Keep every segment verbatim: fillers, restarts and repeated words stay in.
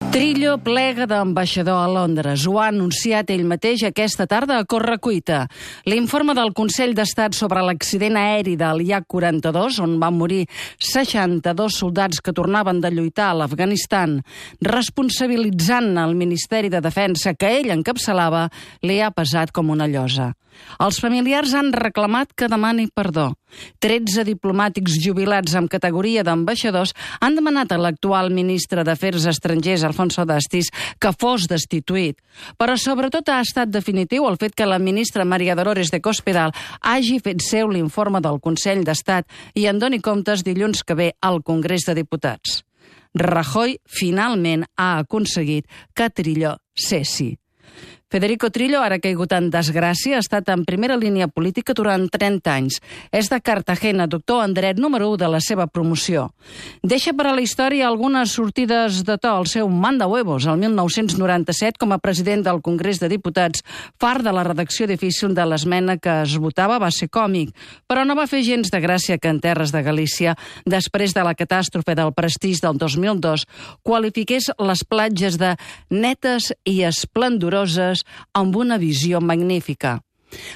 Trillo plega d'ambaixador a Londres. Ho ha anunciat ell mateix aquesta tarda a correcuita. L'informe del Consell d'Estat sobre l'accident aeri del I A C quaranta-dos, on van morir seixanta-dos soldats que tornaven de lluitar a l'Afganistan, responsabilitzant el Ministeri de Defensa que ell encapçalava, li ha pesat com una llosa. Els familiars han reclamat que demani perdó. Tretze diplomàtics jubilats amb categoria d'ambaixadors han demanat a l'actual ministre d'Afers Estrangers, Alfonso Dastis, que fos destituït. Però sobretot ha estat definitiu el fet que la ministra María Dolores de Cospedal hagi fet seu l'informe del Consell d'Estat i en doni comptes dilluns que ve al Congrés de Diputats. Rajoy finalment ha aconseguit que Trillo cessi. Federico Trillo, ara caigut en desgràcia, ha estat en primera línia política durant trenta anys. És de Cartagena, doctor en dret número u de la seva promoció. Deixa per a la història algunes sortides de to al seu manda-huevos el mil nou-cents noranta-set com a president del Congrés de Diputats. Fart de la redacció difícil de l'esmena que es votava va ser còmic, però no va fer gens de gràcia que en terres de Galícia, després de la catàstrofe del Prestigi del dos mil dos, qualifiqués les platges de netes i esplendoroses amb una visió magnífica.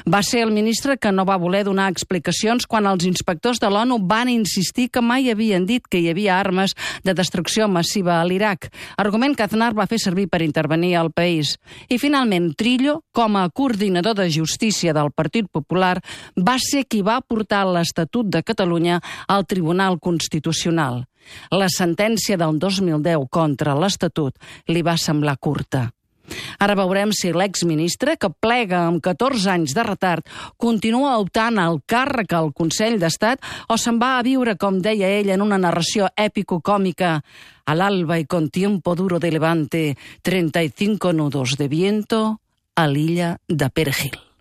Va ser el ministre que no va voler donar explicacions quan els inspectors de l'ONU van insistir que mai havien dit que hi havia armes de destrucció massiva a l'Iraq, argument que Aznar va fer servir per intervenir al país. I finalment Trillo, com a coordinador de justícia del Partit Popular, va ser qui va portar l'Estatut de Catalunya al Tribunal Constitucional. La sentència del dos mil deu contra l'Estatut li va semblar curta. Ara veurem si l'exministre, que plega amb catorze anys de retard, continua optant al càrrec al Consell d'Estat o se'n va a viure, com deia ell en una narració èpico-còmica, al alba y con tiempo duro de levante, treinta y cinco nudos de viento a l'illa de Perejil.